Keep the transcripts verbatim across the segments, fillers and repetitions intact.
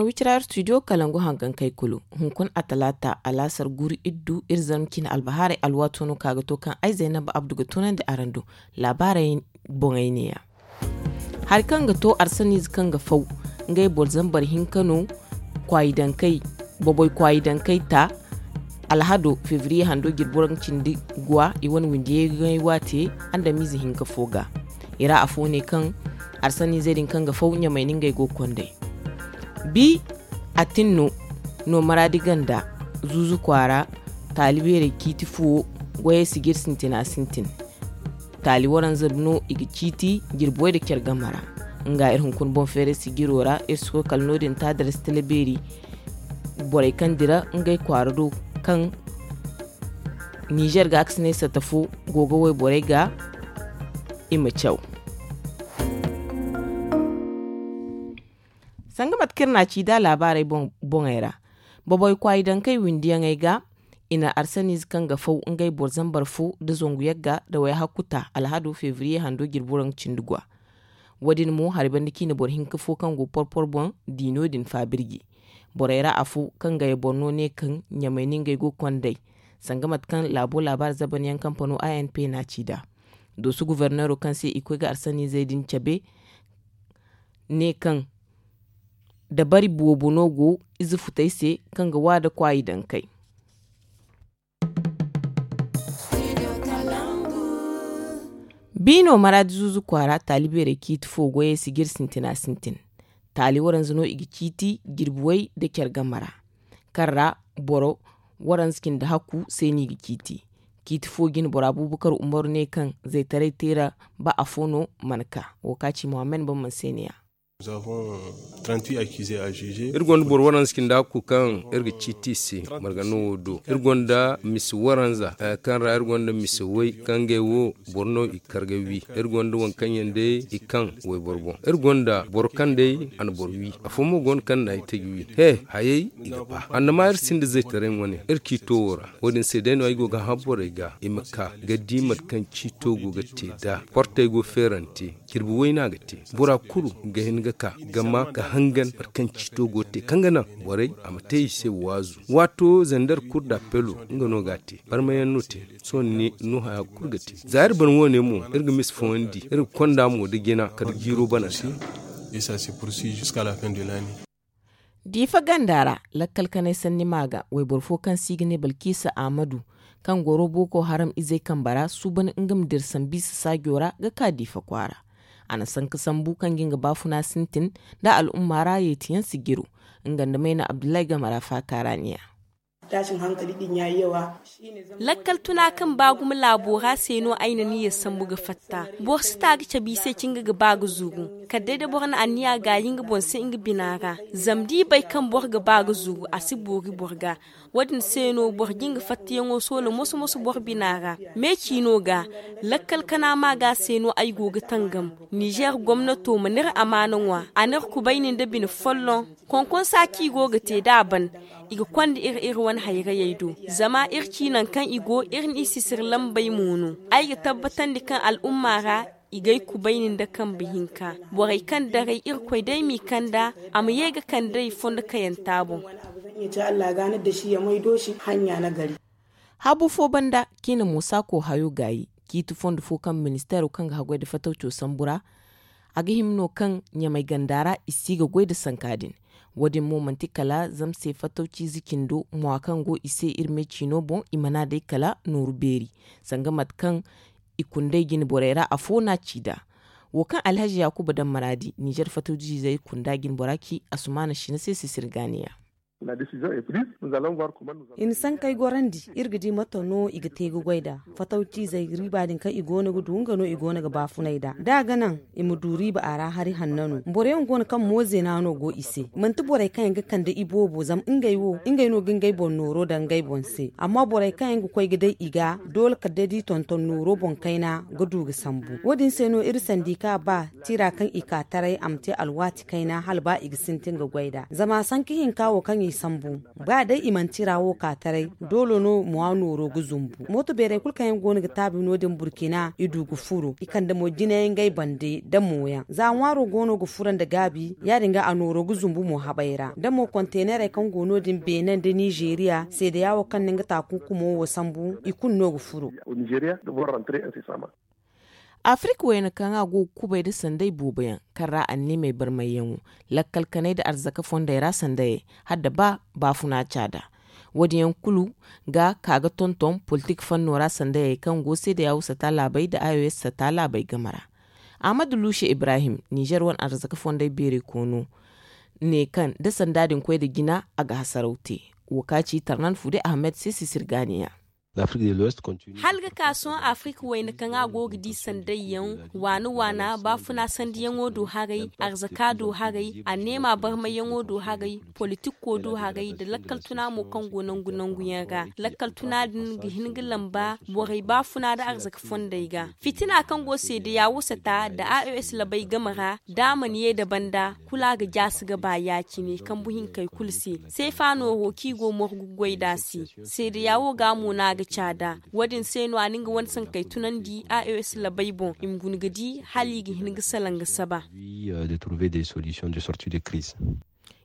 Wicira studio kalangu hangankey kulu. Hunkuna a talaata alaasar guru iddu iri zarma cine albahaarey alwaato no ka ga to kaŋ ay zaynab abdu ga tunandi araŋ do laabaarey boŋey neeya. Hari kaŋ ga to arsaniize kaŋ ga faw ngey boro zambar hinka no. Kwaayidankey boboy kwaayidankey ta alhado febriye hando jirbi waranka cindi guwa i wane windiyey ga ŋay waate andamiize hinka fo ga. I ra afo ne kaŋ arsaniizey din kaŋ ga faw ɲamay no ngey go ga kondey. Bi atin no no maraadi ganda zuuzu kwaara taali beerey ciiti fuwo goyey sijir sintina sintin. Taali waranza no i ga ciiti jirbi way nda care game ra. Nga iri hunkuna boŋ feeray sijiro ra iri si koy kala no- din ta darasi tala beeri. Borey kaŋ dira ngey kwaara do kaŋ nizer ga a ga si ne sata fo go ga wayborey ga i ma caw. Sanga mate kaŋ iri na a ci da laabaarey boŋey ra. Boboy kwaayi dankey windiyaŋey ga i na arsaniize kaŋ ga faw ngey boro zambar fo nda zangu yagga nda wayhakku ta alhado febriye hando jirbi waranka cindi gwa. Wo- din mo hari banda ciine boro hinka fo kaŋ go porpor boŋ di no- din faabirji. Borey ra afo kaŋ ga ye boro no ne kaŋ ɲamay no ngey go ga kond'ey. Sanga mate kaŋ laabo laabaari zabanyaŋ kampano a n p na a ci nd'a. Dooso guverneero kaŋ se i koy ga arsaniizey din cabe ne kaŋ dabari boobo no go ize futey se kaŋ ga waada kwaayi dankey. Biino maraadi zuuzu kwaara taali beerey ciiti fo goyey sijir sintina sintin. Taali waranza no i ga ciiti jirbi way nda care game ra. Kaŋ ra boro waranza cindi hakku se no i ga ciiti. Ciiti fo jine boro abuubakar umaru ne kaŋ zaytaray teera ba afo no mana ka. Wo kaŋ a ci muhammad bamman se ne- ya. Iri gonda boro waranza cindi hakku kaŋ iri ga ciiti i se margano wo do. Iri gonda misi waranza kaŋ ra iri gonda misi way kaŋ ngey wo boro no i kar ga wi. Iri gonda waŋ kaŋ yaŋ day i kaŋ wayboro boŋ. Iri gonda boro kaŋ day a na boro wi. Afo mo go no kaŋ na ay taji wi he hayey i ga ba annama iri sinda zaytaray wane iri ciito wo ra. Wo- din se day no ay go ga hã borey ga i ma ka ga di mate kaŋ ciito go ga te nd'a. Portey go feerante. Jirbi wayna ga te. Bora kulu ga hin ga ka ga ma ga hangan mate kaŋ ciito go ga te kaŋ ga naŋ borey a ma te i se waazu. Waato zandar kur da pelo nga no ga a te. Barmayaŋ no te. Sohõ ni no haya kulu ga te za iri ban wo- ne mo iri ga misi fooyaŋ di iri ga konda mo nda jina kala jiiro bana se. Diifa ganda ra lakkal kanay sanni ma ga wayboro fo kaŋ se i ga ne balkiisa ahmadu, kaŋ goro boko haram izey kamba ra suuban nga ma dira sambu i se saajo ra ga ka diifa kwaara. A na sanka sambu kaŋ ga nga baafuna sintin nda al'umma ra yeetiyaŋ si jiro. Nga nda mayna abdullahi game ra faaka ra ne- ya. Lakkal tuna kaŋ ba gumo laabo ra se no ay na niyya sambu ga fatta. Boro si ta ga cabe i se ci nga ga ba ga zuru kala day da boro na anniya gaayi nga boŋ se nga bina ra. Zama da i bay kaŋ boro ga ba ga zuru a si boori boro ga. Wo- din se no boro ga nga fattayaŋo soola moso moso boro bina ra. Me ciino ga lakkal kana ma ga se no ay go ga tangam. Nizer gomnato mana iri amaana ŋwa a na iri kubayni nda bine folloŋ. Konkonsa kaŋ i go ga te da a ban i ga konda iri iri wane hayrayey do. Zama iri ci nangu kaŋ i go iri n'i sisiri lambey mo no. Ay ga tabbatandi kaŋ al'umma ra i g'ay kubayni nda kambe hinka. Borey kaŋ daray irkoy day m'i kanda a ma ye ga kand'ey fondo kayanta boŋ. Haabu fo banda, ciine mo saako hayo gaayi ciiti fondo fo kaŋ ministeero kaŋ ga haggoy nda fatawco sambu ra. A ga hima no kaŋ ɲamay ganda ra i si ga goy nda sanka din. Wo- din mo manti kala zama se fatawciize cindo mwa kaŋ go i se iri me ciino boŋ i mana day kala nooru beeri. Sanga mate kaŋ i kundey jine borey ra afo no a ci nd'a. Wo kaŋ alhazi yaakuba daŋ maraadi nizer fatawciizey kunda jine bora ci asumaana sina se sisiri gaaniya. I na sankey gorandi iri ga di mate no i ga te ga goy nd'a. Fatawciizey riiba din kaŋ i go no ga du nga no i go no ga baafunay nd'a da a ga naŋ i ma du riiba a ra hari hanna no. Boro yaŋ go no kaŋ moozeena no go i se manti borey kaŋ yaŋ ga kande i boobo zama ngey wo ngey no ga ngey boŋ nooro daŋ ngey boŋ se amma borey kaŋ yaŋ ga koy ga day i ga doole kala day da i tonton nooro boŋ kayna ga du ga sambu. Wo- din se no iri sandi ka ba tira kaŋ i ka taray a ma te alwaati kayna hala ba i ga sintin ga goy nd'a zama sanka hinka wo kaŋ i Sambu, ba day i manti ra wo ka taray, doolo no mo a nooro ga zumbu. Mooto beeray kulu kaŋ yaŋ go no ga taabi no- din burkina i du ga furo i kande mo jinayaŋ ngey bande da mooyaŋ za ŋwaaro go no ga furo nda gaabi. Ya- din ga a nooro ga zumbu mo habay ra da mo konteenerey kaŋ go no- din beene nda nizeeriya seedeya wo kaŋ na nga taakunkumo wo sambu i kulu no ga furo. Afirik wayna kaŋ a go ga kubay nda sanday boobo yaŋ kaŋ ra anniimey barmayyaŋo, lakkal kanay nda arzaka fondey ra sandayey, hala nda ba baafuna caada. Wo- din yaŋ kulu ga ka ga tonton politik fanno ra sandayey kaŋ go seedeya wo sata laabey nda i o s sata laabey game ra. Ahmadu luusi ibrahim, nizer wane arzaka fondey beeray koono, ne kaŋ da sanda din koy nda jina a ga hasaraw te. Wo ka ci tarnan fude ahmed se sisirgaaniya. Hala ga ka sohõ afirik wayna kaŋ a go ga di sanday yaŋ, waana waana baafuna sandiyaŋo do haray, arzaka do haray, anneema barmayyaŋo do haray, politikko do haray nda lakkal tuna mo kaŋ go nangu nangu yaŋ ra. Lakkal tuna din ga hin ga lamba borey baafuna nda arzaka fondey ga. Fitina kaŋ go seedeya wo sata nda a o s labey game ra, da a mana ye nda banda kulu a ga jaasi ga ba ya- cine kambu hinkey kulu se. Seefa nooro kaŋ i go morgu goy nd'a se, seedeya wo ga mo no a ga caada. Wo- din se no a na nga wane sankey tunandi a o s labey boŋ i ma guna ga di hala i ga hin ga salaŋ ga saba.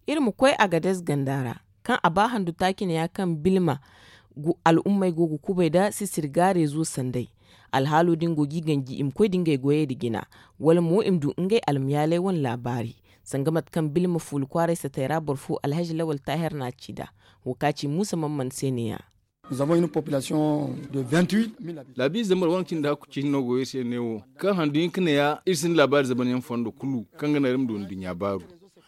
Iri ma koy agadez ganda ra, kaŋ a ba handu taaci ne ya kaŋ bilma al'ummey go ga kubay nda sisirga reezo sanday. Alhaalo din go ga i ganji i ma koy nda ngey goyey nda jina, wala mo i ma du ngey almayaaley wane laabaari. Sanga mate kaŋ bilma fuula kwaaray satey ra boro fo alhazi lawal taahir no a ci nd'a. Wo ka ci muusa man man se ne- ya. Laabiize zambar waŋ cindi hakku ciine no go iri se ne wo, kaŋ handu hinka ne ya iri sinda laabaari zamanyaŋ fondo kulu kaŋ ga naŋ iri ma du nduɲɲa baaru.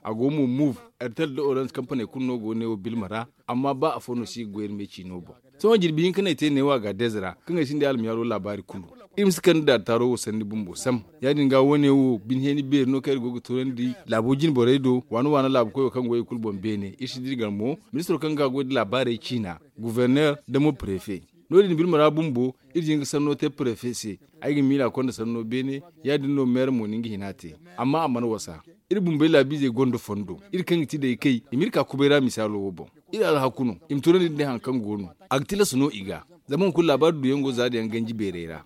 A go mo move, airtel nda orange kampaney kulu no go ne wo bilma ra. Amma ba afo no si ga goy iri me ciino boŋ. Sohõ jirbi hinka no ay te neewo agadez ra kaŋ ay sinda almiyaaro laabaari kulu. Iri ma si kande daari taaro wo sanni bumbo sam. Ya- din ga wo- ne wo bine heeni beeri no kaŋ iri go ga toonandi laabo jine borey do waana waana laabu koyo kaŋ go i kulu boŋ beene iri si dira gar mo, ministiro kaŋ ga goy nda laabaarey ciina, guverner nda mo prefe. No- din birma ra bumbo iri jin ga sanno te prefe se. Ay ga miila konda sanno beene. Ya- din no meera mo na nga hina te. Amma a mana wasa. Iri bumbey laabiizey gonda fondo iri kaŋ ga ti day kay i ma iri ka kubay ra misaalo wo boŋ. Iri alhaku no i ma tunandi nda hari kaŋ go no. A ga tilas no i ga. Zama hunkuna laabaari duyaŋ go za da yaŋ ganji beerey ra.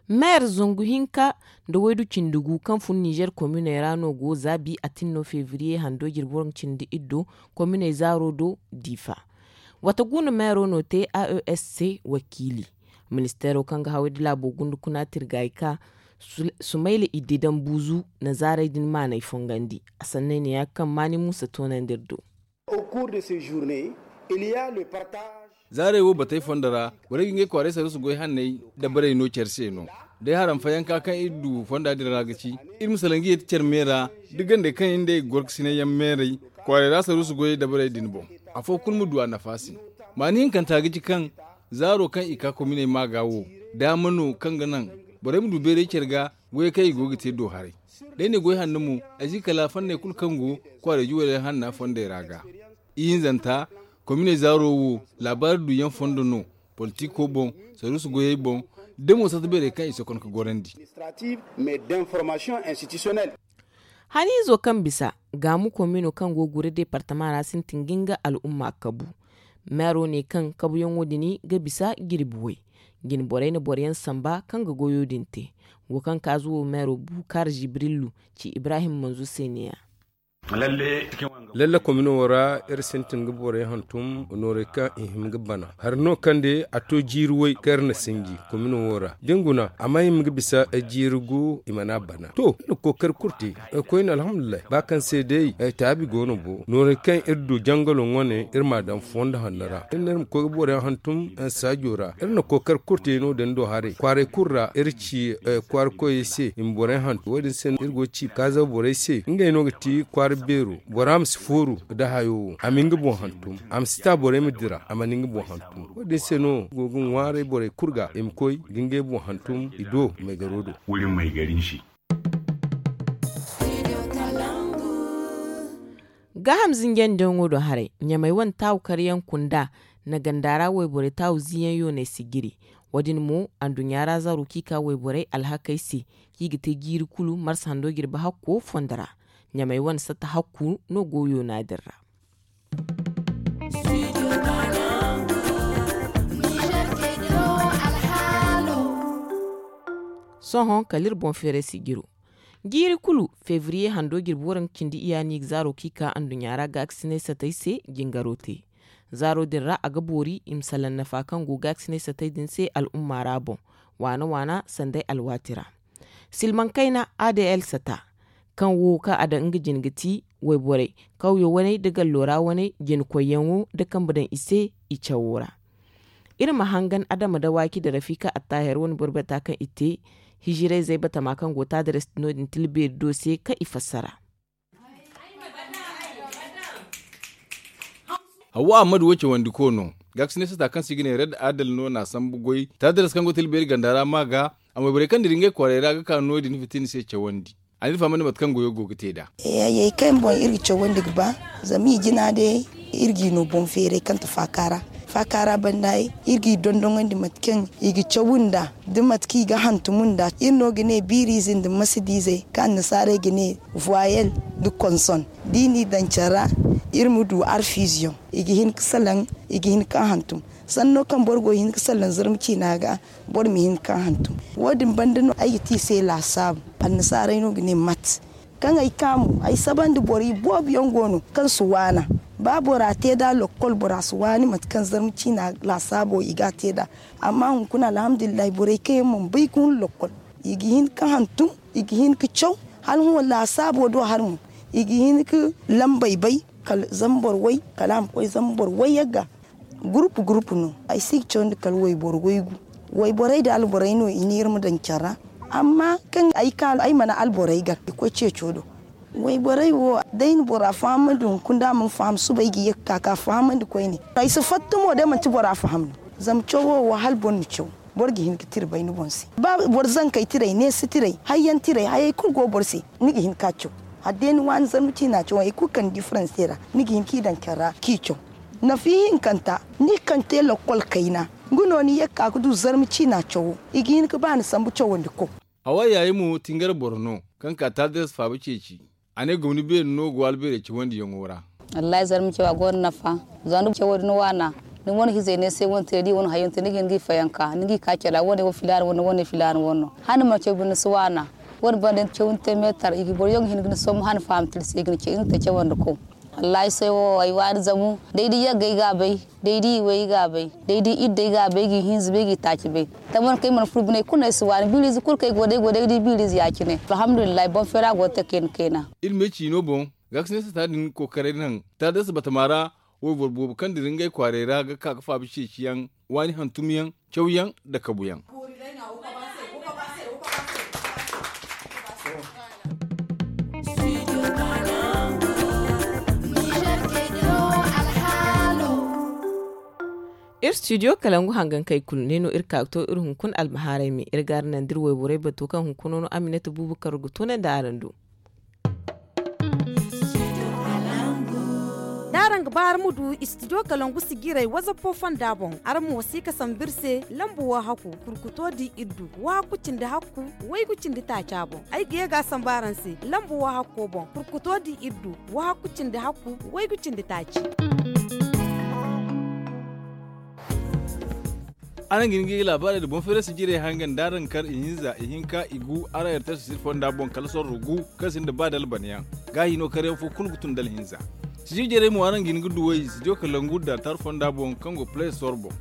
Meer zangu hinka nda waydu cindi gu kaŋ fun nizer kominey ra no go za bi atinno febriye hando jirbi waranka cindi iddo kominey zaaro do diifa. Wata guuna meero no te a o s se wakiili. Ministeero kaŋ ga haway da laabo gunda kuna tirgaayi ka sumayla iddi daŋ buuzu na zaarey din maanay fongandi. A sanney ne ya ga kaŋ maani muusa toonandi iri do. Zaarey wo batey fondo ra borey ga ngey kwaaray sarusu goy hanney dabarey no care se no. Day haram fayanka kaŋ iri du fonda din ra ga ci iri ma salaŋ ga yeeti care me ra da gandey kaŋ iri nd'ey ga gorkasinay yaŋ meeray kwaaray ra sarusu goyey dabarey din boŋ. Afo kulu ma du a nafa se. Maani hinkanta ga ci kaŋ zaaro kaŋ i ka kominey maaga wo daama no kaŋ ga naŋ borey ma du beeray care ga goyey kaŋ i go ga te do haray. Day ne goy hanno mo ay si kala fanney kulu kaŋ go kwaara juwaley hanna fondey ra ga. Ihinzanta kominey zaaro wo laabaari duyaŋ fondo no, politiko boŋ, saruusu goyey boŋ, da mo sata beerey kaŋ i si konka gorandi. Haniizo kaŋ bisa gaamu komino kaŋ go gure departama ra sintin ga nga al'umma kabu. Meero ne kaŋ kabuyaŋo din ga bisa jirbi way. Jine borey na boroyaŋ samba kaŋ ga goyo din te. Wo kaŋ kaazu wo meero bukaar jibrilu ci ibrahim manzu se ne- ya. Lalle komino wo ra iri sintin ga borey hantum noorey kaŋ i hima ga bana hari no kaŋ day a to jiiri way kaŋ iri na sinji komino wo ra da ni guna a ma hima ga bisa jiiri gu i mana bana to iri na kookari kulu te. Koyne alhamdulillahi ba kaŋ se day taabi go no bo noorey kaŋ iri du jangalo ŋwane iri m'a daŋ fondo hanno ra iri ne iri ma koy ga boroyaŋ hantum saajo ra iri na kookari kulu te no- din do haray kwaaray kulu ra iri ci kwaara koyey se i ma boroyaŋ hantum wo- din se no iri go ga ci kaazaw borey se ngey no ga ti kwaara beero bora ma si fooru nda hayo wo a ma nga boŋ hantum a ma si ta borey ma dira a mana nga boŋ hantum wo- din se no go ga ŋwaaray borey kulu ga i ma koy ga ngey boŋ hantum i do maygaro do. Gaaham zinjandiyaŋo do haray ɲamey wane taawu karyaŋ kunda na ganda ra wayborey taawu ziiyaŋ yooney si jiri. Wo- din mo anduɲɲa ra zaaro kaŋ i ka wayborey alhakey se kaŋ i ga te jiiri kulu marsa hando jirbi hakko fondo ra. Ɲamay wane satta hakku no goyo no a din ra. Sohõ kala iri boŋ feeray sijiro. Jiiri kulu, febriye hando jirbi waranka cindi iyya no i ga zaaro kaŋ i ka anduɲɲa ra gaakasinay satay se jingaro te. Zaaro din ra a ga boori i ma salaŋ nafa kaŋ go gaakasinay satay din se al'umma ra boŋ, waana waana sanday alwaati ra. Silmaŋ kayna adl sata, kaŋ wo kaŋ a daŋ nga jine ga ti wayborey, kawyo waney nda gallo ra waney, jinakoyyaŋo nda kambe daŋ i se i cawo ra. Iri ma hangan adama dawaki nda rafika attahir wane borbata kaŋ i te, hijirayzey batama kaŋ go taadires no din tilbeeri do se kaŋ i fassara. Hawwa ahmad wo cawandi ko no, gaakasine sata kaŋ se i ga ne red adal no n'a sambu goy taadires kaŋ go tilbeeri ganda ra ma ga. Amma borey kaŋ dira ngey kwaarey ra ga ka no din fitina se cawandi. A n'iri fahamandi mate kaŋ goyo go ga te nd'a. Hayey kaŋ boŋ iri ga cawandi ga ba, zama i jina day iri g'i no boŋ feeray kaŋ ti faaka ra. Faaka ra banda iri g'i dondoŋandi mate kaŋ i ga caw nd'a, da mate kaŋ i ga hantum nd'a. Iri no ga ne biiriize nda masadiizey kaŋ annasaarey ga ne voyelle nda konson. Da i n'i daŋ care ra, iri ma du arfiize yaŋ. I ga hin ga salaŋ, i ga hin ga hantum. Sanno kaŋ boro go hin ga salaŋ zarma ciina ga, boro ma hin ga hantum. Wo- din banda no ay ga te i se laasaabu. Annasaarey no ga ne mat. Kaŋ ay ka mo ay sabandi borey boobo yaŋ go no kaŋ si waana. Ba bora te nd'a lokkol bora si waani mate kaŋ zarma ciina laasaabo i ga a te nd'a. Amma hunkuna alhamdulillahi borey kaŋ yaŋ mana bay ga hun lokkol, i ga hin ga hantum, i ga hin ga caw. Hala hõ laasaabo do hala mo, i ga hin ga lambey bay kala zambar way, kala a ma koy zambar wayyaŋ ga. Gurupu gurupu no. Ay si ga cawandi kala wayboro waygu. Wayborey nda alborey no i ne iri ma daŋ care ra. Amma kaŋ ay ka ay mana alborey gar i koy ceeco do. Wayborey wo, day na bora fahamandi hunkuna da a mana faham suba ay ga ye ga ka ga fahamandi koyne. Ay si fatta mo day manti bora faham no. Zama cawo wo hala boro na caw, boro ga hin ga tira bay ni boŋ se. Ba boro zankey tirey neesi tirey hayyaŋ tirey hayey kulu go boro se, ni ga hin ga caw. Hala day ni waani zarma ciina caw hari kulu kaŋ ni di faranse ra, ni ga hin k'i daŋ care ra k'i caw. Nafa ihinkanta, ni kaŋ te lokkol kayna, nga no ni ye ga ka ga du zarma ciina cawo. I ga hin ga ba ni sambu cawandi ko. Hawa yaayi mo tingar boro no, kaŋ ka taadires faaba ceeci. A ne gomni beeri no go albeerey cawandiyaŋo ra. Wallahi zarma cawa gonda nafa. Zama da cawo din waana, ni wane hizey ne se wane te da i wane hayaŋ te ni ga hin ga i fayanka ni ga i ka care ra wane wo filaana wane wane filaana wane no. Hala ni mana caw binde ni si waana. Wane banda ni caw ni te meetar i ga boro yaŋ ga hin ga ni sombu hala ni faham tira se i ga ni caw i ga ni te cawandi ko. Wallahi sohõ wo ay waani zamu, day da yagga ay ga a bay, day da iway ay ga a bay, day da idda ay ga a bay ay ga ihinza bay ay ga itaaci bay. Taman kaŋ ay mana furo bine kulu no ay si waani biiriize kulu kaŋ ay go day go day ga di biiriize ya- cine. Alhamdulillahi boŋ feera go ga te kayna kayna. Iri me ciino boŋ, gaakasinay sata din kookaray naŋ taadasa batama ra. Wayboro boobo kaŋ dira ngey kwaarey ra ga ka ga faaba ceeciyaŋ, waani hantumyaŋ, cawyaŋ nda kabuyaŋ. Iri studio kalangu hangankey kulu ne no iri ka ga to iri hunkuna almahaarey me iri ga araŋ naŋ da iri wayborey bato kaŋ hunkuna no aminata buubu karo ga toonandi araŋ do. Da araŋ ga ba araŋ ma du studio kalangu sijiray wazappo fonda boŋ, araŋ mo si ga sambu iri se lamba wahakku kurkuto di iddu wahakku cindi hakku waygu cindi taaca boŋ. Ay ga ye ga a sambu araŋ se lamba wahakko boŋ kurkuto di iddu wahakku cindi hakku waygu cindi taaci. Araŋ ga hin ga i laabaarey nda boŋ feerasi jirey hangan da araŋ kar ihinza ihinka igu araŋ yartay sosir fonda boŋ kala sorro gu kaŋ sinda ba dalbana yaŋ. Gaahi no karyaŋ fo kulu ga tun dala hinza. Sijir jarey mo araŋ ga hin ga duw'ey studio kalangu da tar fonda boŋ kaŋ go play store boŋ.